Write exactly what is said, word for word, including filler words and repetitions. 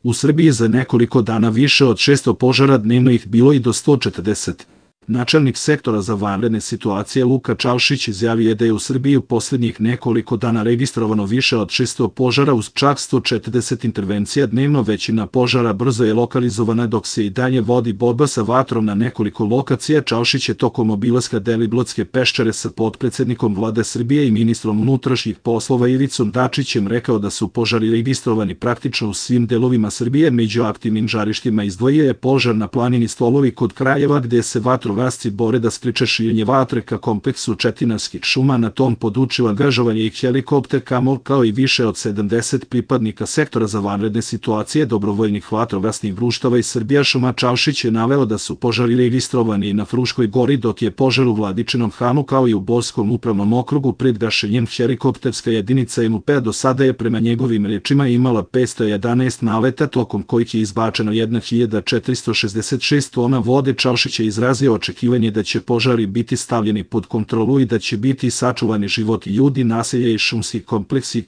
U Srbiji za nekoliko dana više od šesto požara dnevno ih bilo i do sto četrdeset. Načelnik sektora za vanredne situacije Luka Čaušić izjavio je da je u Srbiji u posljednjih nekoliko dana registrovano više od šesto požara uz čak sto četrdeset intervencija dnevno. Većina požara brzo je lokalizovana dok se i dalje vodi borba sa vatrom na nekoliko lokacija. Čaušić je tokom obilaska Deliblatske peščare sa potpredsednikom Vlade Srbije i ministrom unutrašnjih poslova Ivicom Dačićem rekao da su požari registrovani praktično u svim delovima Srbije. Među aktivnim žarištima izdvojio je požar na planini Stolovi kod Kraljeva gde se vatrogasci bore da spriče širenje vatre ka kompleksu Četinarskih šuma. Na tom području angažovanje i helikopter Kamov kao i više od sedamdeset pripadnika sektora za vanredne situacije dobrovoljnih vatrogasnih društava iz Srbijašuma. Čaušić je naveo da su požari registrovani i na Fruškoj gori dok je požar u Vladičinom Hanu kao i u Borskom upravnom okrugu pred gašenjem. Helikopterska jedinica M U P do sada je prema njegovim rečima imala petsto jedanaest naleta tokom kojih je izbačeno hiljadu četiristo šezdeset šest tona vode. Čaušić je izrazio očekivanje da će požari biti stavljeni pod kontrolu i da će biti sačuvani životi ljudi, naselja i šumski kompleksi.